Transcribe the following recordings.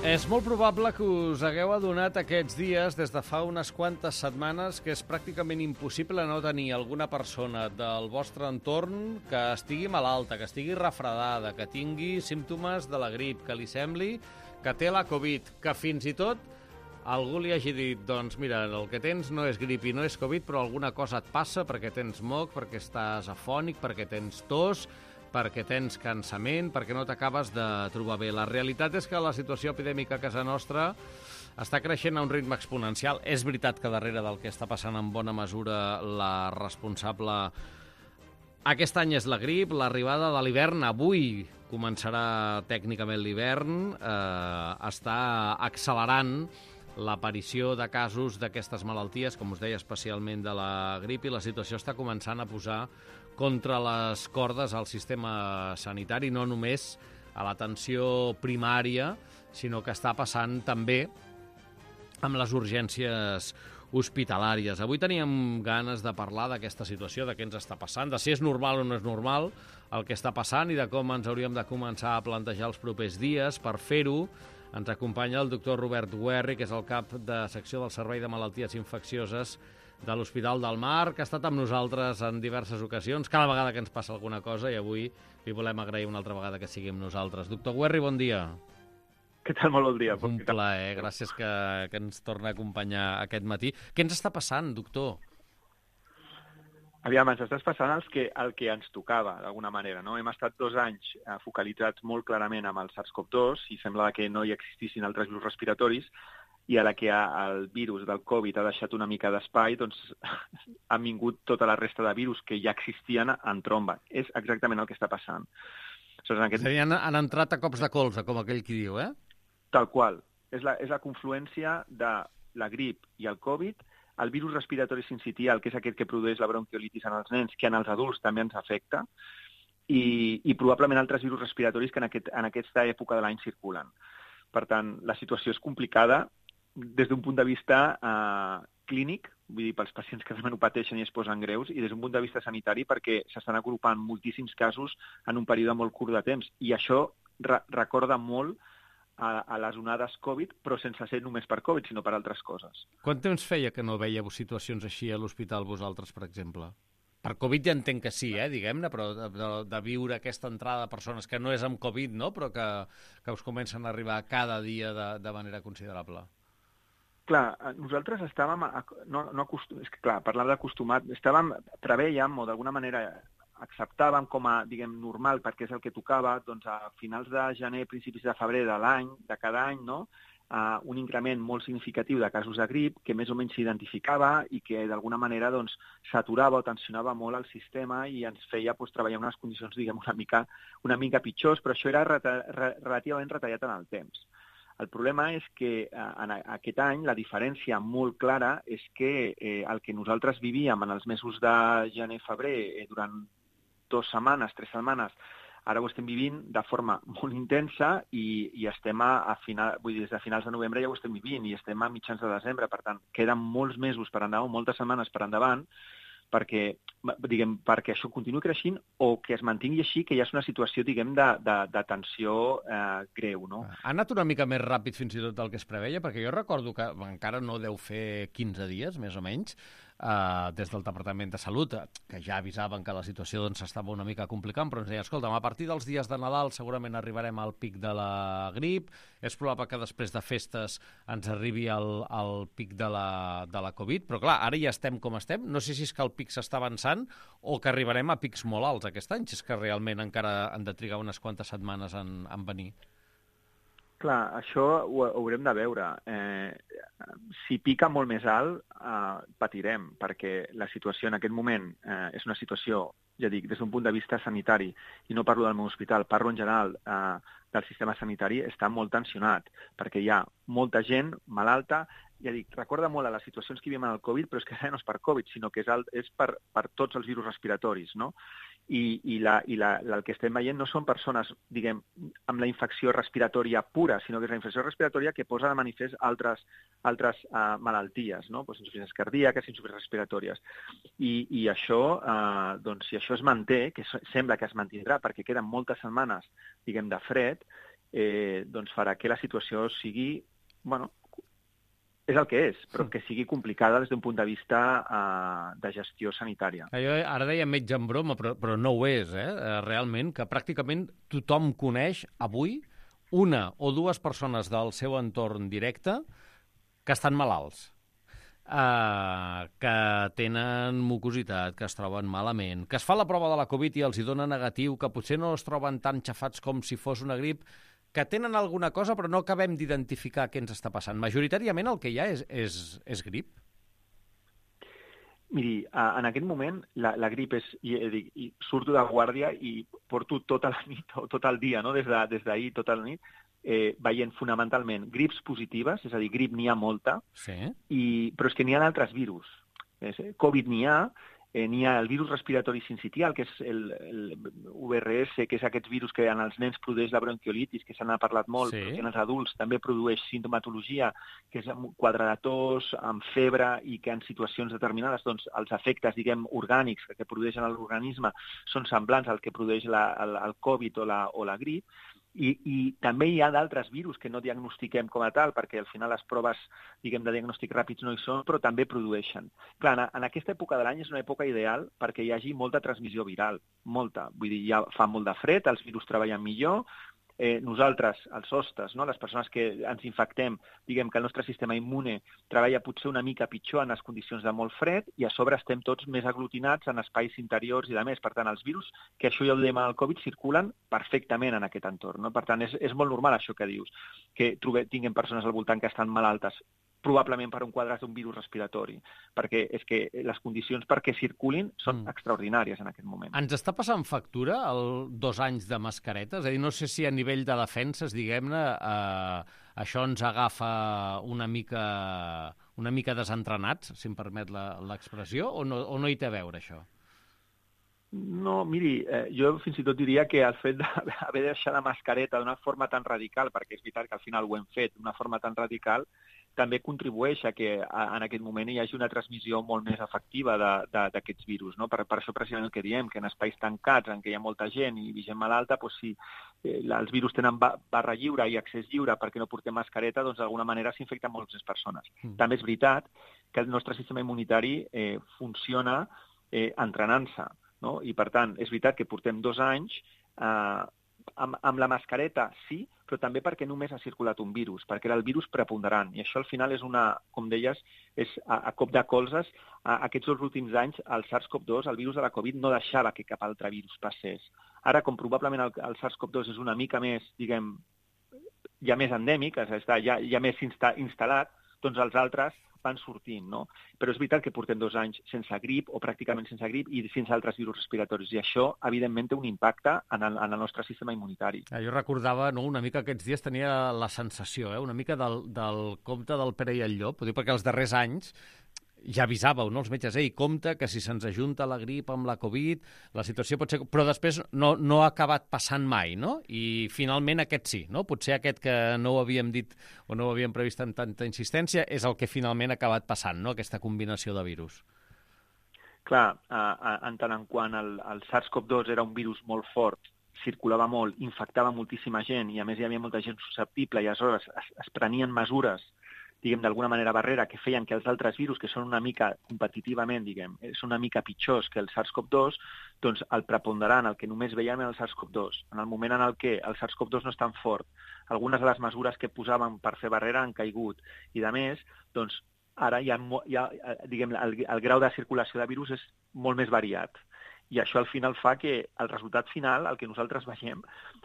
És molt probable que us hagueu adonat aquests dies, des de fa unes quantes setmanes, que és pràcticament impossible no tenir alguna persona del vostre entorn que estigui malalta, que estigui refredada, que tingui símptomes de la grip, que li sembli que té la Covid, que fins i tot algú li hagi dit, doncs mira, el que tens no és grip i no és Covid, però alguna cosa et passa perquè tens moc, perquè estàs afònic, perquè tens tos, perquè tens cansament, perquè no t'acabes de trobar bé. La realitat és que la situació epidèmica a casa nostra està creixent a un ritme exponencial. És veritat que darrere del que està passant en bona mesura la responsable aquest any és la grip, l'arribada de l'hivern. Avui començarà tècnicament l'hivern, està accelerant l'aparició de casos d'aquestes malalties, com us deia, especialment de la grip, i la situació està començant a posar contra les cordes al sistema sanitari, no només a l'atenció primària, sinó que està passant també amb les urgències hospitalàries. Avui teníem ganes de parlar d'aquesta situació, de què ens està passant, de si és normal o no és normal el que està passant i de com ens hauríem de començar a plantejar els propers dies. Per fer-ho, ens acompanya el doctor Robert Guerri, que és el cap de secció del Servei de Malalties Infeccioses de l'Hospital del Mar, que ha estat amb nosaltres en diverses ocasions, cada vegada que ens passa alguna cosa, i avui li volem agrair una altra vegada que sigui amb nosaltres. Doctor Guerri, bon dia. Què tal? Molt bon dia. Un plaer, gràcies que ens torna a acompanyar aquest matí. Què ens està passant, doctor? Aviam, ens estàs passant el que ens tocava, d'alguna manera, no? Hem estat 2 anys focalitzats molt clarament amb el SARS-CoV-2 i sembla que no hi existissin altres virus respiratoris, i ara que el virus del Covid ha deixat una mica d'espai, doncs han vingut tota la resta de virus que ja existien en tromba. És exactament el que està passant. És a dir, han entrat a cops de colze, com aquell qui diu, eh? Tal qual. És la confluència de la grip i el Covid, el virus respiratori sincitial, que és aquest que produeix la bronquiolitis en els nens, que en els adults també ens afecta, i probablement altres virus respiratoris que en aquesta època de l'any circulen. Per tant, la situació és complicada des d'un punt de vista clínic, vull dir, pels pacients que realment ho pateixen i es posen greus, i des d'un punt de vista sanitari perquè s'estan agrupant moltíssims casos en un període molt curt de temps. I això recorda molt a les onades Covid, però sense ser només per Covid, sinó per altres coses. Quant temps feia que no veieu situacions així a l'hospital vosaltres, per exemple? Per Covid ja entenc que sí, diguem-ne, però de viure aquesta entrada de persones que no és amb Covid, no?, però que us comencen a arribar cada dia de manera considerable. Clar, nosaltres estàvem, és que clar, parlant d'acostumat, prevèiem, o d'alguna manera acceptàvem com a, diguem, normal, perquè és el que tocava, doncs a finals de gener, principis de febrer de cada any, no?, un increment molt significatiu de casos de grip que més o menys s'identificava i que d'alguna manera doncs, saturava o tensionava molt el sistema i ens feia treballar en unes condicions, diguem, una mica pitjors, però això era relativament retallat en el temps. El problema és que en aquest any la diferència molt clara és que el que nosaltres vivíem en els mesos de gener-febrer durant 2 setmanes, 3 setmanes, ara ho estem vivint de forma molt intensa i estem des de finals de novembre ja ho estem vivint i estem a mitjans de desembre. Per tant, queden molts mesos per endavant, moltes setmanes per endavant, perquè això continuï creixent o que es mantingui així, que ja és una situació, diguem, de tensió greu, no? Ha anat una mica més ràpid fins i tot del que es preveia, perquè jo recordo que encara no deu fer 15 dies, més o menys, des del Departament de Salut, que ja avisaven que la situació s'estava una mica complicant, però ens deien, escolta'm, a partir dels dies de Nadal segurament arribarem al pic de la grip, és probable que després de festes ens arribi el pic de la Covid, però clar, ara ja estem com estem, no sé si és que el pic s'està avançant o que arribarem a pics molt alts aquest any, si és que realment encara han de trigar unes quantes setmanes en venir. Clar, això ho haurem de veure. Si pica molt més alt, patirem, perquè la situació en aquest moment és una situació, ja dic, des d'un punt de vista sanitari, i no parlo del meu hospital, parlo en general del sistema sanitari, està molt tensionat, perquè hi ha molta gent malalta. Ja dic, recorda molt a les situacions que vivim en el Covid, però és que no és per Covid, sinó que és per tots els virus respiratoris, no? I el que estem veient no són persones, diguem, amb la infecció respiratòria pura, sinó que és la infecció respiratòria que posa de manifest altres malalties, no? Pues insuficiències cardíaques, insuficiències respiratòries. I això, doncs, si això es manté, que sembla que es mantindrà, perquè queden moltes setmanes, diguem, de fred, doncs farà que la situació sigui, bueno, és el que és, però que sigui complicada des d'un punt de vista de gestió sanitària. Jo ara deia metge en broma, però no ho és, realment, que pràcticament tothom coneix avui una o dues persones del seu entorn directe que estan malalts, que tenen mucositat, que es troben malament, que es fa la prova de la Covid i els hi dona negatiu, que potser no es troben tan xafats com si fos una grip, que tenen alguna cosa però no acabem d'identificar què ens està passant. Majoritàriament el que hi ha és grip? Miri, en aquest moment la grip és... surto de guàrdia i porto tota la nit o tot el dia, no? Des d'ahir, tota la nit, veient fonamentalment grips positives, és a dir, grip n'hi ha molta, sí. Però és que n'hi ha altres virus. Covid n'hi ha el virus respiratori sincitial, que és el VRS, que és aquests virus que en els nens produeix la bronquiolitis, que se n'ha parlat molt, però que en els adults també produeix sintomatologia, que és quadre de tos, amb febre, i que en situacions determinades doncs, els efectes, diguem, orgànics que produeixen l'organisme són semblants al que produeix el Covid o la grip. I també hi ha d'altres virus que no diagnostiquem com a tal, perquè al final les proves, diguem, de diagnòstic ràpids no hi són, però també produeixen. Clar, en aquesta època de l'any és una època ideal perquè hi hagi molta transmissió viral, molta. Vull dir, ja fa molt de fred, els virus treballen millor. Nosaltres, els hostes, no? Les persones que ens infectem, diguem que el nostre sistema immune treballa potser una mica pitjor en les condicions de molt fred i a sobre estem tots més aglutinats en espais interiors i de més. Per tant, els virus, que això ja ho dèiem al Covid, circulen perfectament en aquest entorn. No? Per tant, és molt normal això que dius, que tinguem persones al voltant que estan malaltes, probablement per un quadre d'un virus respiratori, perquè és que les condicions perquè circulin són extraordinàries en aquest moment. Ens està passant factura 2 anys de mascareta? És a dir, no sé si a nivell de defenses, diguem-ne, això ens agafa una mica desentrenats, si em permet l'expressió, o no hi té a veure, això? No, miri, jo fins i tot diria que el fet d'haver de deixar la mascareta d'una forma tan radical, perquè és veritat que al final ho hem fet d'una forma tan radical, també contribueix a que en aquest moment hi hagi una transmissió molt més efectiva d'aquests virus. No? Per això precisament el que diem, que en espais tancats en què hi ha molta gent i gent malalta, doncs si els virus tenen barra lliure i accés lliure perquè no portem mascareta, doncs d'alguna manera s'infecten moltes més persones. També és veritat que el nostre sistema immunitari funciona entrenant-se. No? I, per tant, és veritat que portem 2 anys amb la mascareta, sí, però també perquè només ha circulat un virus, perquè era el virus preponderant. I això, al final, és com deies, és a cop de colzes. Aquests 2 últims anys, el SARS-CoV-2, el virus de la Covid, no deixava que cap altre virus passés. Ara, com probablement el SARS-CoV-2 és una mica més, diguem, ja més endèmic, ja més instal·lat, doncs els altres van sortint, no? Però és veritat que portem 2 anys sense grip, o pràcticament sense grip, i sense altres virus respiratoris, i això, evidentment, té un impacte en el nostre sistema immunitari. Jo recordava, una mica aquests dies tenia la sensació, una mica del conte del Pere i el Llop, perquè els darrers anys ja avisàveu, no, els metges, compte que si se'ns ajunta la grip amb la Covid, la situació pot ser... Però després no ha acabat passant mai, no? I finalment aquest sí, no? Potser aquest que no ho havíem dit o no ho havíem previst amb tanta insistència és el que finalment ha acabat passant, no? Aquesta combinació de virus. Clar, en tant en quant el SARS-CoV-2 era un virus molt fort, circulava molt, infectava moltíssima gent i a més hi havia molta gent susceptible i aleshores es prenien mesures, diguem, d'alguna manera barrera, que feien que els altres virus, que són una mica competitivament, diguem, són una mica pitjors que el SARS-CoV-2, doncs el preponderant, el que només veiem era el SARS-CoV-2. En el moment en el que el SARS-CoV-2 no és tan fort, algunes de les mesures que posaven per fer barrera han caigut. I, de més, doncs, ara diguem, el grau de circulació de virus és molt més variat. I això al final fa que el resultat final, el que nosaltres veiem,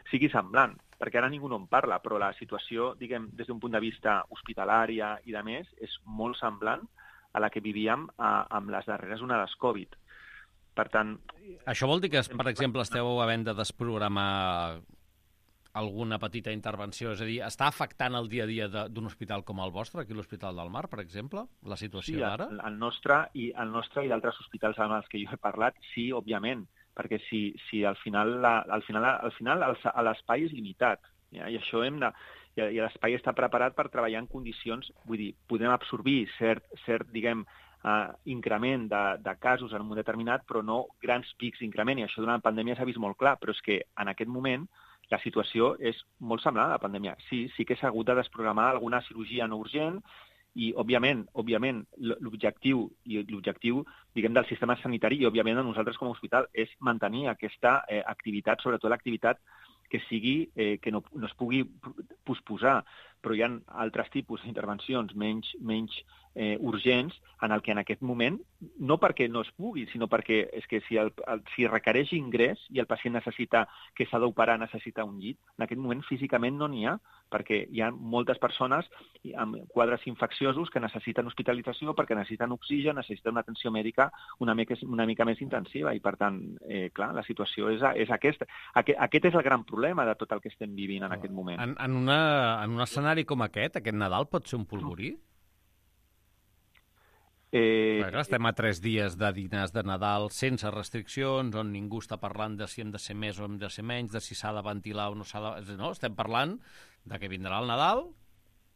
sigui semblant, perquè ara ningú no en parla, però la situació, diguem, des d'un punt de vista hospitalària i de més, és molt semblant a la que vivíem amb les darreres onades Covid. Per tant... Això vol dir que, per exemple, esteu havent de desprogramar alguna petita intervenció? És a dir, està afectant el dia a dia d'un hospital com el vostre, aquí l'Hospital del Mar, per exemple, la situació d'ara? Sí, el nostre i d'altres hospitals amb els que jo he parlat, sí, òbviament, perquè si al final l'espai és limitat, ja? I això i l'espai està preparat per treballar en condicions, vull dir, podem absorbir cert diguem, increment de casos en un determinat, però no grans pics d'increment, i això durant la pandèmia s'ha vist molt clar, però és que en aquest moment la situació és molt semblant a la pandèmia. Sí que s'ha hagut de desprogramar alguna cirurgia no urgent i, òbviament, l'objectiu diguem, del sistema sanitari i, òbviament, de nosaltres com a hospital és mantenir aquesta activitat, sobretot l'activitat que sigui, que no es pugui posposar, però hi ha altres tipus d'intervencions menys urgents en el que en aquest moment, no perquè no es pugui, sinó perquè és que si requereix ingrés i el pacient necessita que s'ha d'operar, necessita un llit, en aquest moment físicament no n'hi ha, perquè hi ha moltes persones amb quadres infecciosos que necessiten hospitalització perquè necessiten oxigen, necessiten una atenció mèdica una mica més intensiva i, per tant, clar, la situació és aquesta. Aquest és el gran problema de tot el que estem vivint en aquest moment. En un escenari com aquest Nadal pot ser un polvorí? Estem a 3 dies de dinars de Nadal sense restriccions, on ningú està parlant de si hem de ser més o hem de ser menys, de si s'ha de ventilar o no s'ha de... No, estem parlant de que vindrà el Nadal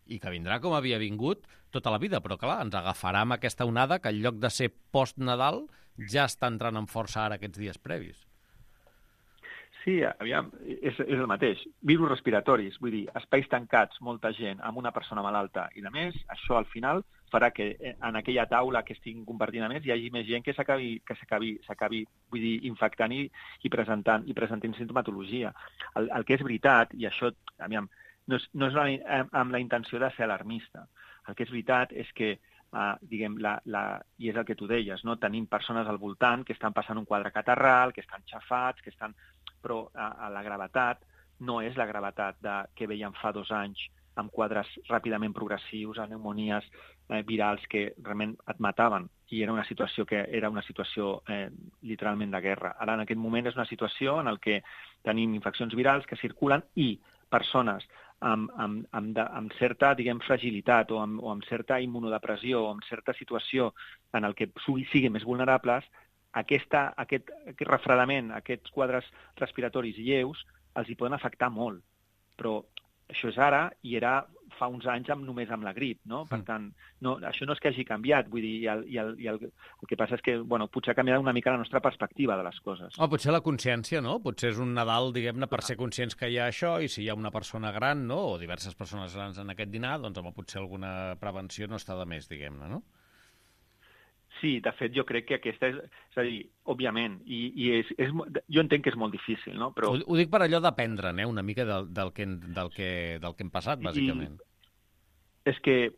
i que vindrà com havia vingut tota la vida, però clar, ens agafarà amb aquesta onada que en lloc de ser post-Nadal ja està entrant en força ara aquests dies previs. Sí, aviam, és el mateix. Virus respiratoris, vull dir, espais tancats, molta gent, amb una persona malalta i, a més, això al final farà que en aquella taula que estiguin compartint a més hi hagi més gent que s'acabi vull dir, infectant i presentant sintomatologia. El que és veritat, i això, aviam, no és amb la intenció de ser alarmista, el que és veritat és que diguem, i és el que tu deies, no? Tenim persones al voltant que estan passant un quadre catarral, que estan xafats, però la gravetat no és la gravetat que veiem fa 2 anys amb quadres ràpidament progressius, a pneumonies virals que realment et mataven, i era una situació literalment de guerra. Ara, en aquest moment, és una situació en què tenim infeccions virals que circulen i persones amb certa, diguem, fragilitat o amb certa immunodepressió o amb certa situació en què siguin més vulnerables, aquest refredament, aquests quadres respiratoris lleus, els hi poden afectar molt. Però això és ara i era fa uns anys només amb la grip, no? Per tant, això no és que hagi canviat, vull dir, el que passa és que, bueno, potser ha canviat una mica la nostra perspectiva de les coses. Potser la consciència, no? Potser és un Nadal, diguem-ne, per ser conscients que hi ha això, i si hi ha una persona gran, no?, o diverses persones grans en aquest dinar, doncs potser alguna prevenció no està de més, diguem-ne, no? Sí, de fet, jo crec que aquesta és a dir, òbviament, jo entenc que és molt difícil, no? Però... Ho dic per allò d'aprendre, una mica del que hem passat, bàsicament. És que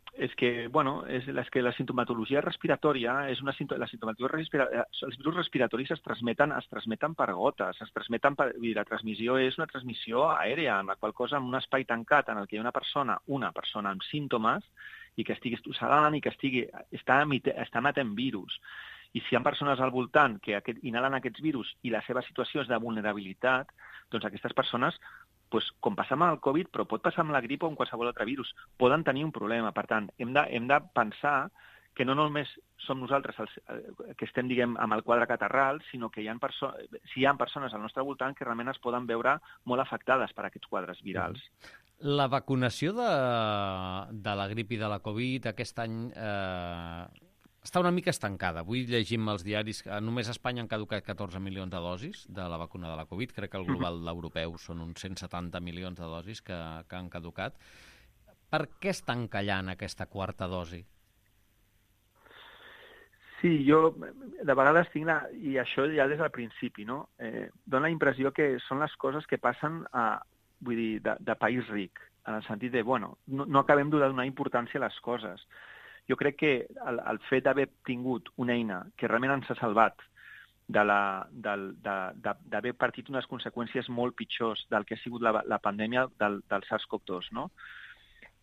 la sintomatologia respiratòria els virus respiratoris es transmeten per gotes, la transmissió és una transmissió aèria, en la qual cosa, en un espai tancat en el que hi ha una persona amb símptomes i que estigui estossegant i que està emetent virus. I si hi ha persones al voltant que inhalen aquests virus i la seva situació és de vulnerabilitat, doncs aquestes persones, com passa amb el Covid, però pot passar amb la grip o amb qualsevol altre virus, poden tenir un problema. Per tant, hem de pensar que no només som nosaltres que estem, diguem, amb el quadre catarral, sinó que hi ha persones al nostre voltant que realment es poden veure molt afectades per aquests quadres virals. La vacunació de la grip i de la Covid aquest any està una mica estancada. Avui llegim als diaris que només a Espanya han caducat 14 milions de dosis de la vacuna de la Covid. Crec que el global europeu són uns 170 milions de dosis que han caducat. Per què estan callant aquesta quarta dosi? Sí, jo de vegades tinc, i això ja des del principi, no? Dóna la impressió que són les coses que passen de país ric, en el sentit de, no acabem de donar importància a les coses. Jo crec que el fet d'haver tingut una eina que realment ens ha salvat d'haver partit unes conseqüències molt pitjors del que ha sigut la pandèmia del SARS-CoV-2, no?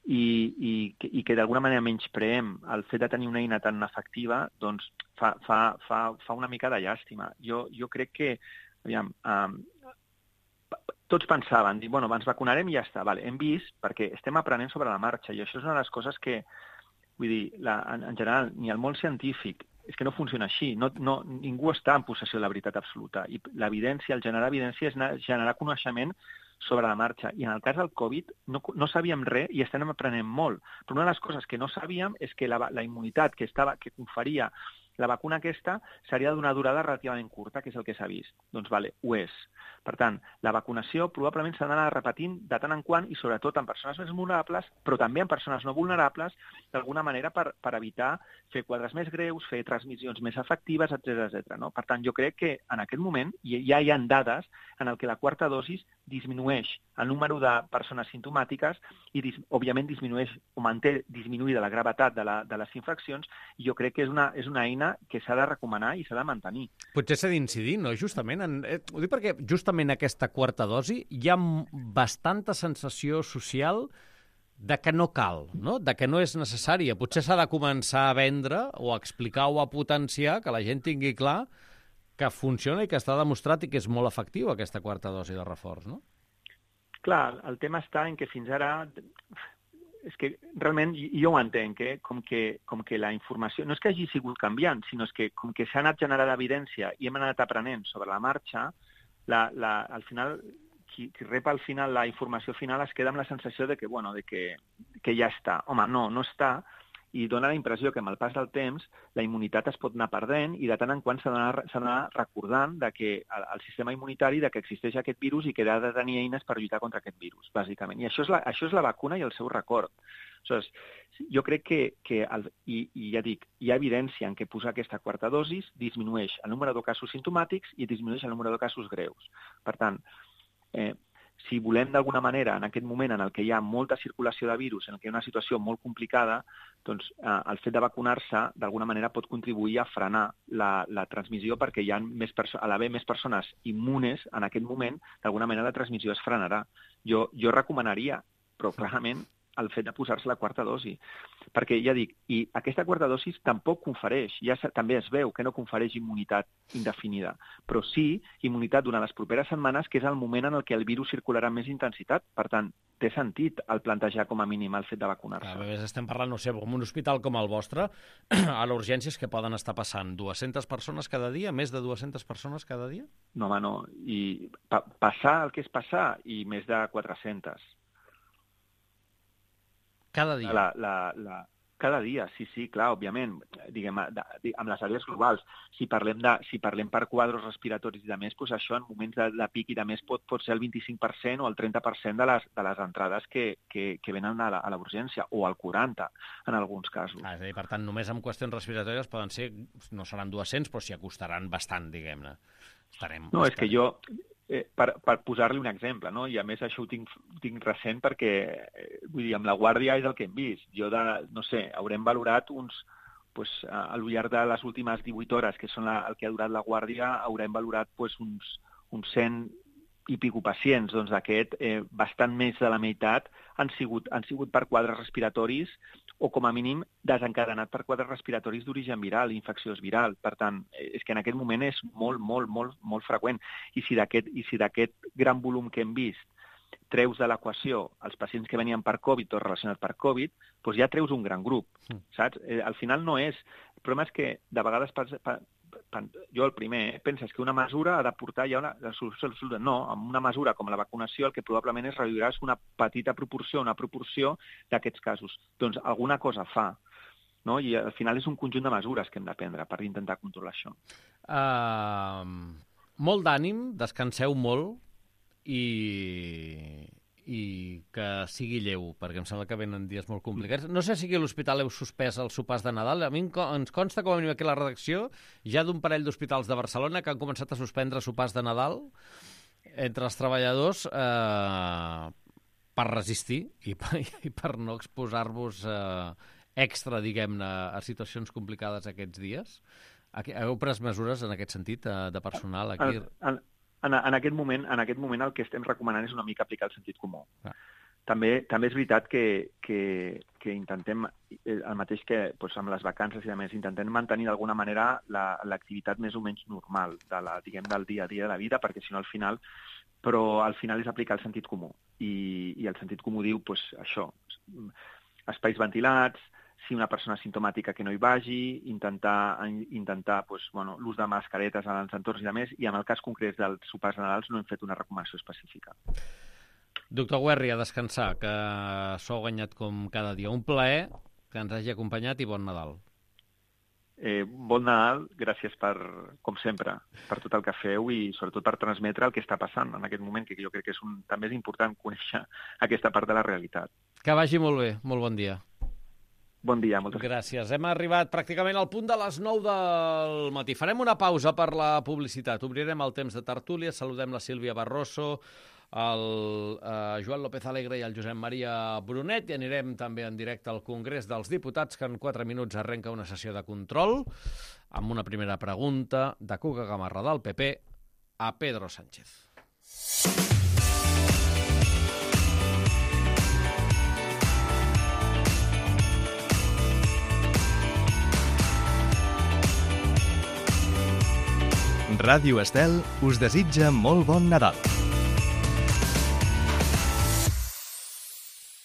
I que d'alguna manera menyspreem el fet de tenir una eina tan efectiva, doncs fa una mica de llàstima. Jo crec que, aviam, tots pensaven, ens vacunarem i ja està. Vale, hem vist, perquè estem aprenent sobre la marxa, i això és una de les coses que, vull dir, en general, ni el món científic, és que no funciona així. Ningú està en possessió de la veritat absoluta. I l'evidència, el generar evidència, és generar coneixement sobre la marxa. I en el cas del Covid no sabíem res i estem aprenent molt. Però una de les coses que no sabíem és que la immunitat que conferia la vacuna aquesta seria d'una durada relativament curta, que és el que s'ha vist. Doncs vale, ho és. Per tant, la vacunació probablement s'ha d'anar repetint de tant en quant i sobretot en persones més vulnerables, però també en persones no vulnerables, d'alguna manera per evitar fer quadres més greus, fer transmissions més efectives, etc. No? Per tant, jo crec que en aquest moment ja hi ha dades en el que la quarta dosis disminueix el número de persones simptomàtiques i, òbviament, disminueix o manté disminuïda la gravetat de les infeccions, i jo crec que és una eina que s'ha de recomanar i s'ha de mantenir. Potser s'ha d'incidir, no? Justament, ho dic perquè justament aquesta quarta dosi hi ha bastanta sensació social de que no cal, no? De que no és necessària. Potser s'ha de començar a vendre o a explicar o a potenciar, que la gent tingui clar que funciona i que està demostrat i que és molt efectiu aquesta quarta dosi de reforç, no? Clar, el tema està en que fins ara... És que realment jo ho entenc, com que la informació no és que hagi sigut canviant, sinó és que com que s'ha anat generant evidència i hem anat aprenent sobre la marxa, al final, qui rep al final la informació final es queda amb la sensació de que, bueno, de que ja està. Home, no està, i dona la impressió que amb el pas del temps la immunitat es pot anar perdent i de tant en quant s'ha d'anar recordant de que el sistema immunitari de que existeix aquest virus i que ha de tenir eines per lluitar contra aquest virus, bàsicament. I això és la vacuna i el seu record. Aleshores, jo crec que i ja dic, hi ha evidència en què posar aquesta quarta dosis disminueix el número de casos simptomàtics i disminueix el número de casos greus. Per tant, si volem d'alguna manera, en aquest moment en el que hi ha molta circulació de virus, en el que hi ha una situació molt complicada, doncs el fet de vacunar-se d'alguna manera pot contribuir a frenar la transmissió, perquè hi ha a l'haver més persones immunes en aquest moment, d'alguna manera la transmissió es frenarà. Jo recomanaria, però clarament, el fet de posar-se la quarta dosi. Perquè, ja dic, i aquesta quarta dosi tampoc confereix, també es veu que no confereix immunitat indefinida, però sí immunitat durant les properes setmanes, que és el moment en el què el virus circularà amb més intensitat. Per tant, té sentit el plantejar com a mínim el fet de vacunar-se. A més, estem parlant, no sé, en un hospital com el vostre, a l'urgències que poden estar passant 200 persones cada dia, més de 200 persones cada dia? No, home, no. I passar el que és passar, i més de 400. Cada dia? Cada dia, sí, clar, òbviament, diguem, amb les àrees globals. Si parlem per quadres respiratoris i de més, doncs això en moments de pic i de més pot ser el 25% o el 30% de les entrades que venen a la urgència, o el 40% en alguns casos. És a dir, per tant, només amb qüestions respiratòries poden ser, no seran 200, però s'hi acostaran bastant, diguem-ne. No, és que jo... Per posar-li un exemple, no? I a més això ho tinc recent perquè, vull dir, amb la Guàrdia és el que hem vist. Jo, no sé, haurem valorat al llarg de les últimes 18 hores, que són el que ha durat la Guàrdia, haurem valorat uns 100 i pico pacients. Doncs d'aquest, bastant més de la meitat han sigut per quadres respiratoris o com a mínim desencadenat per quadres respiratoris d'origen viral, infecciós viral. Per tant, és que en aquest moment és molt freqüent. I si d'aquest gran volum que hem vist treus de l'equació els pacients que venien per Covid o relacionats per Covid, doncs ja treus un gran grup, saps? Al final no és... El problema és que de vegades jo el primer penses que una mesura ha de portar ja una solució absoluta. No, amb una mesura com la vacunació el que probablement es reduirà és una petita proporció, d'aquests casos. Doncs alguna cosa fa, no? I al final és un conjunt de mesures que hem de prendre per intentar controlar això. Molt d'ànim, descanseu molt i que sigui lleu, perquè em sembla que venen dies molt complicats. No sé si aquí a l'hospital heu suspès els sopars de Nadal. A mi ens consta, com a mínim aquí a la redacció, ja d'un parell d'hospitals de Barcelona que han començat a suspendre sopars de Nadal entre els treballadors per resistir i per no exposar-vos extra, diguem-ne, a situacions complicades aquests dies. Heu pres mesures en aquest sentit de personal aquí? En aquest moment el que estem recomanant és una mica aplicar el sentit comú. També és veritat que intentem, el mateix que amb les vacances i a més, intentem mantenir d'alguna manera l'activitat més o menys normal del dia a dia de la vida, perquè si no al final és aplicar el sentit comú. I el sentit comú diu això, espais ventilats, si una persona simptomàtica que no hi vagi, intentar l'ús de mascaretes en els entorns i de més, i en el cas concret dels sopars de Nadal no hem fet una recomanació específica. Doctor Guerri, a descansar, que s'ho ha guanyat com cada dia. Un plaer que ens hagi acompanyat i bon Nadal. Bon Nadal, gràcies com sempre, per tot el que feu i sobretot per transmetre el que està passant en aquest moment, que jo crec que també és important conèixer aquesta part de la realitat. Que vagi molt bé, molt bon dia. Bon dia, moltes gràcies. Hem arribat pràcticament al punt de les 9 del matí. Farem una pausa per la publicitat. Obrirem el temps de tertúlia, saludem la Sílvia Barroso, el Joan López Alegre i el Josep Maria Brunet, i anirem també en directe al Congrés dels Diputats, que en 4 minuts arrenca una sessió de control, amb una primera pregunta de Cuca Gamarra del PP a Pedro Sánchez. Ràdio Estel us desitja molt bon Nadal.